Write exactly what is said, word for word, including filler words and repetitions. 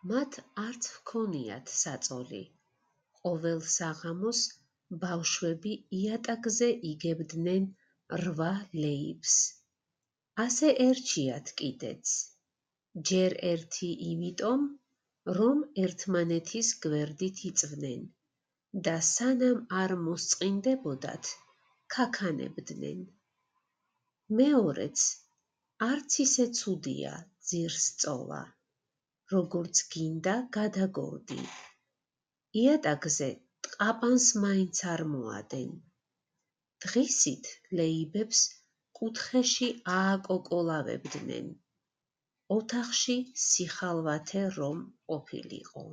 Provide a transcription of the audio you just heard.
მათ არც ჰქონიათ საწოლი. ყოველ საღამოს ბავშვები იატაკზე იგებდნენ რვა ლეიბს. ასე ერჩიათ კიდეც. ჯერ ერთი იმიტომ, რომ ერთმანეთის გვერდით იწვნენ და სანამ არ მოსწყინდებოდათ, ქაქანებდნენ. მეორეც, არც ისე ცუდია ძირს სწოლა, როგორც გინდა გადაგორდი. იატაკზე ტყაპანს მაინც არ მოადენ. დღისით ლეიბებს კუთხეში ააკოკოლავებდნენ. ოთახში სიხალვათე რომ ყოფილიყო.